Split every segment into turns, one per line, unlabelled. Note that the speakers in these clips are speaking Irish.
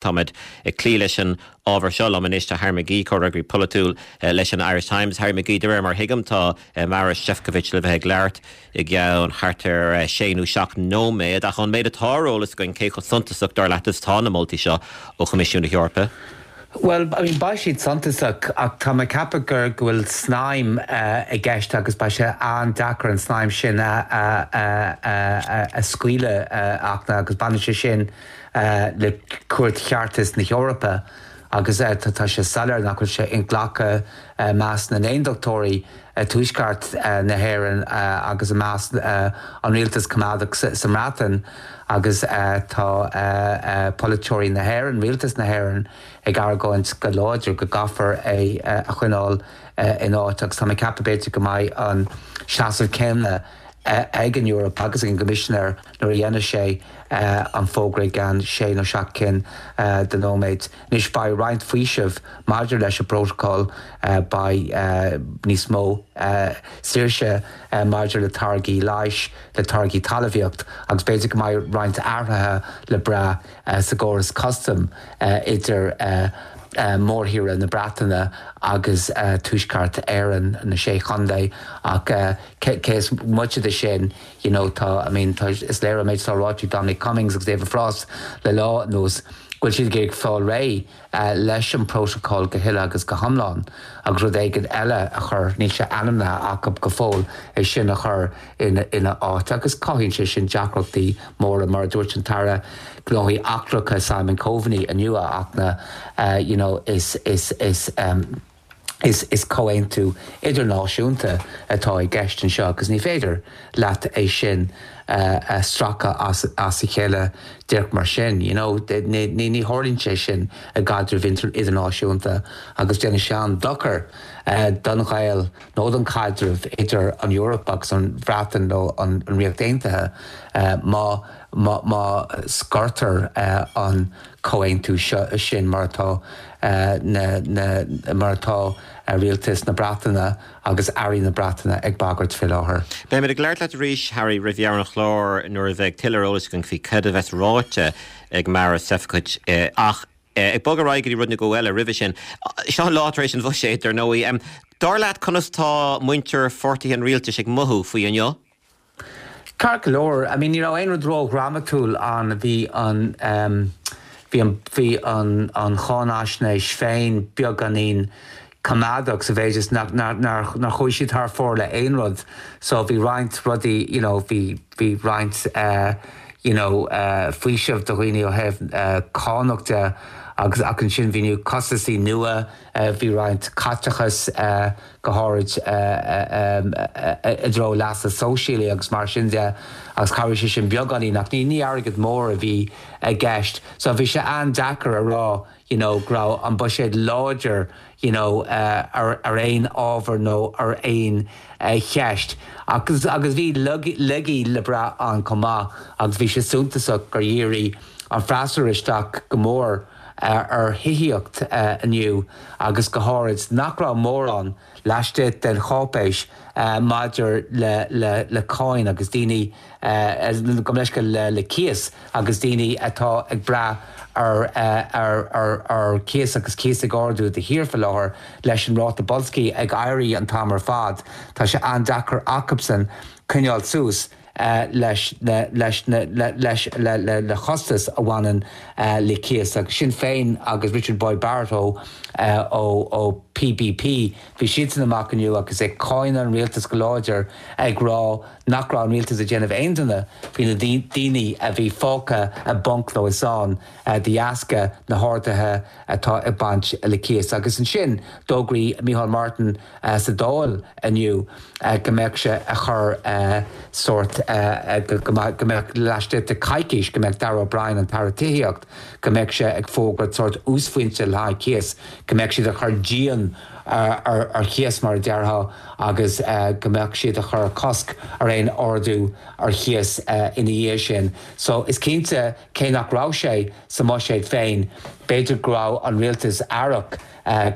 Táimid ag cloí leis an ábhar seo. Liom anois tá Harry McGee, comhfhreagraí polaitiúil leis an Irish Times. Harry McGee, de réir mar a thuigim, tá Marois Šefčovič le bheith ag labhairt i gceann thart ar sé nó seacht nóiméad. Ach ón méid atá ar eolas againn, cé chomh suntasach, dar leat, is atá na moltaí seo ó Choimisiún na
hEorpa? Bhuel, I mean, beidh siad suntasach ach tá mé ag ceapadh gur, go bhfuil snaidhm i gceist agus beidh sé an-deacair an snaidhm sin a, a, a, a scaoileadh ach agus baineann sé sin le Cúirt Cheartais na hEorpa agus tá sé soiléir nach bhfuil sé inghlactha i measc na n-aondachtóirí i dtuaisceart na hÉireann agus i measc an rialtas coimeádach sa mBreatain agus tá polaiteoirí na hÉireann, rialtas na hÉireann ag argóint go láidir go gcaithfear é a choinneáil in áit agus tá mé ag ceapadh b'fhéidir go mbeidh an seasamh céanna ag an Eoraip agus ag an gCoimisinéir nuair a dhéanfaidh sé an fógra i gceann sé nó seacht cinn de nóiméid. Anois beidh roinnt faoiseamh maidir leis an bprótacal, beidh níos mó saoirse maidir le táirgí leighis, le táirgí talmhaíocht agus b'fhéidir go mbeidh roinnt athruithe le brath sa gcóras custaim idir mórthíre na Breataine agus Tuaisceart Éireann, na Sé Chontae ach. Cé is moite de sin, you know, tá, I mean, tá, is léir ón méid atá ráite ag Dominic Cummings agus David Frost le lá anuas go bhfuil siad ag iarraidh fáil réidh leis an bprótacal go huile agus go hiomlán agus rud éigin eile a chur, níl sé ainmnithe acu go fóill, é sin a chur ina áit agus cothaíonn sé sin deacrachtaí móra mar a dúirt an tAire Gnóthaí Eachtracha Simon Coveney inniu a Fhachtna, you know, is, is, is, Is comhaontú idirnáisiúnta atá i gceist anseo agus ní féidir leat é sin a stracadh as a chéile díreach mar sin. You know, ní tharlaíonn sé sin i gcaidreamh idirnáisiúnta agus déanann sé an-dochar don ghaol nó don chaidreamh idir an Eoraip agus an Bhreatain nó an Ríocht Aontaithe má má scortar an comhaontú seo sin mar atá na na mar atá rialtas na Breataine agus airí na Breataine ag bagairt faoi láthair.
Beimid ag labhairt leat arís, Harry, roimh dheireadh an chláir nuair a bheidh tuilleadh eolais againn faoi cad a bheas ráite ag Marois Šefčovič. Ach ag bogadh ar aghaidh go dtí rud nó dhó eile roimhe sin, seo an lá tar éis an bhuiséid, dar ndóigh. Dar leat, conas tá muintir pháirtithe an rialtais ag mothú faoi inniu?
Ceart go leor, I mean ní raibh aon rud ró-dhrámatúil ann, bhí an bhí an bhí an an cháinaisnéis féin beagáinín coimeádach sa mhéid is nach nár nár chuaigh siad thar fóir le aon rud so bhí roinnt rudaí you know bhí bhí roinnt eh you know eh faoiseamh do dhaoine ó thaobh eh cánach de agus ach ansin bhí na costaisí nua eh bhí roinnt caiteachas eh go háirid i dtreo leasa sóisialaigh agus mar sin de agus chabhraigh sé sin beagáinín ach ní ní airgead mór a bhí i gceist. So bhí sé an-deacair a rá you know go raibh an buiséad láidir you know ar ar aon ábhar nó ar aon cheist. Agus agus bhí laigí le brath ann chomh maith agus bhí sé suntasach gur dhírigh an freasúra isteach go mór ar thithíocht inniu agus go háirid nach raibh mórán laistigh den cháipéis maidir le cáin agus daoine, gabh mo leithscéal, le cíos agus daoine atá ag brath ar chíos agus cíos ag ardú de shíor faoi láthair leis an ráta boilscithe ag éirí an t-am ar fad. Tá sé an-deacair acubsan coinneáil suas. leis na leis na leis le le le costais a bhaineann le cíos agus Sinn Féin agus Richard Boyd Barrett ó ó ó PBP bhí siadsan amach inniu agus ag cáineadh an rialtas go láidir ag rá nach raibh an rialtas ag déanamh aon duine faoi na daoine a bhí fágtha i bponc nó i sáinn de dheasca na harduithe atá ag baint le cíos agus ansin d'fhógraigh Micheál Martin sa Dáil inniu go mbeadh sé a chur sórt go mbeadh laistigh de coicís go mbeadh Darragh O'Brien, an tAire Tithíocht, go mbeadh sé ag fógairt sórt uasphointe le haghaidh cíos, go mbeadh siad a chur díon ar chíos mar a déarfá agus go mbeadh siad a chur cosc ar aon ardú ar chíos ina dhiaidh sin. So is cinnte cé nach raibh sé sa mbuiséad féin b'fhéidir go raibh an rialtas aireach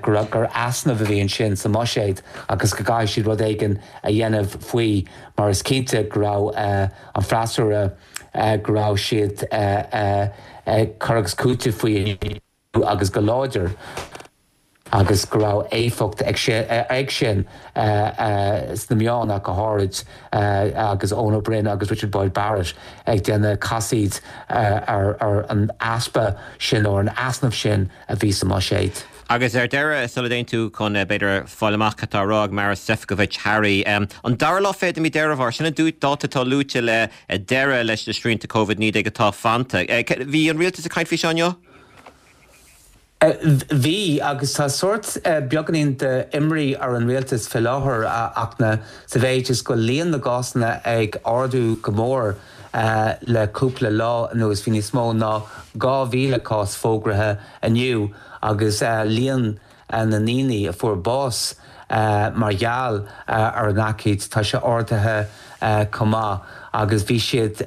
gur gur easnamh a bhí ansin sa mbuiséad agus go gcaithfidh siad rud éigin a dhéanamh faoi mar is cinnte go raibh an freasúra go raibh siad. ag cur agus cúiteamh faoi inniu agus go láidir agus go raibh éifeacht ag sin sna meáin ach go háirid agus Eoin Ó Broin agus Richard Boyd Barrett ag déanamh casaoid ar an easpa sin nó ar an easnamh sin a bhí sa mbuiséad.
Agus ar deireadh, sula dtéann tú chun, b'fhéidir, fáil amach cad tá á rá ag Maros Sefcovic, Harry, an dara lá 20 de mhí Deireadh Fómhair, sin an dáta atá luaite le deireadh leis na srianta Covid-19 atá fanta. Bhí an rialtas ag caint faoi seo inniu?
Bhí, agus tá sórt beagáinín d'imní ar an rialtas fé láthair ach na sa mhéid is go bhfuil líon na gcásanna ag ardú go mór le cúpla lá anuas. Bhí níos mó ná 2,000 cás fógraithe inniu agus líon na ndaoine a fuair bás mar gheall ar an aicíd, tá sé ardaithe chomh maith agus bhí siad,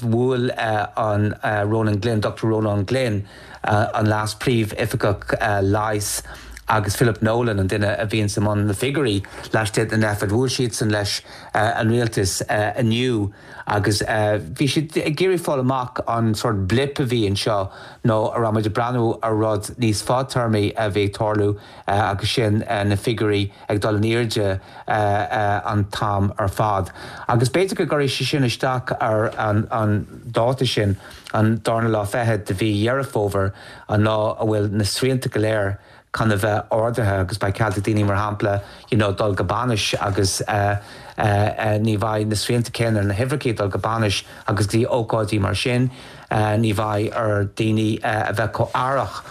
bhuail an Ronan Glynn, Dochtúir Rónán Glynn, an Leas-Phríomh-Oifigeach Leighis agus Philip Nolan, an duine a bhíonns i mbun na figiúirí laistigh den Nphet, bhuail siadsan leis an rialtas inniu agus bhí siad ag iarraidh fáil amach an sórt blip a bhí anseo nó an raibh muid ag breathnú ar rud níos fadtéarmaí a bhí ag tarlú agus sin na figiúirí ag dul in airde an t-am ar fad. Agus b'fhéidir go gcuirfidh sé sin isteach ar an dáta sin, an darna lá 20 de mhí Dheireadh Fómhair, an lá a bhfuil na srianta go léir chun a bheith ardaithe agus beidh cead ag daoine, mar shampla, you know dul go bainis agus ní bheidh na srianta céanna ar na huimhreacha dul go bainis agus go dtí ócáidí mar sin. Ní bheidh ar daoine a bheith chomh aireach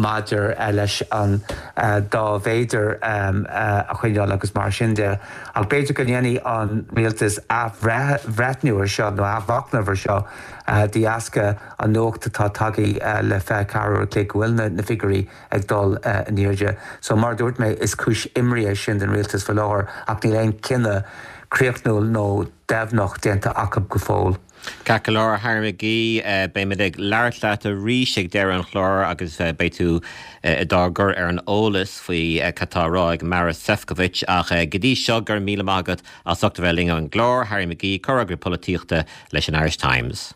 maidir leis an dá mhéadar a choinneáil agus mar sin de. Ach b'fhéidir go ndéanfaidh an rialtas athbhreithniú ar seo nó athmhachnamh ar seo de dheasca an nuacht atá tagtha le 24 uair a chloig go bhfuil na figiúirí ag dul in airde. So mar a dúirt mé, is cúis imní é sin don rialtas faoi láthair ach níl aon cinneadh críochnúil nó deimhneach déanta acu go fóill.
Ceart go leor, a Harry McGee, beimid ag labhairt leat arís ag deireadh an chláir agus beidh tú dár gcur ar an eolas faoi cad tá á rá ag Maros Sefcovic. Ach go dtí seo, go raibh míle maith agat as ucht a bheith linn ar an gclár, Harry McGee, Comhfhreagraí Polaitíochta leis an Irish Times.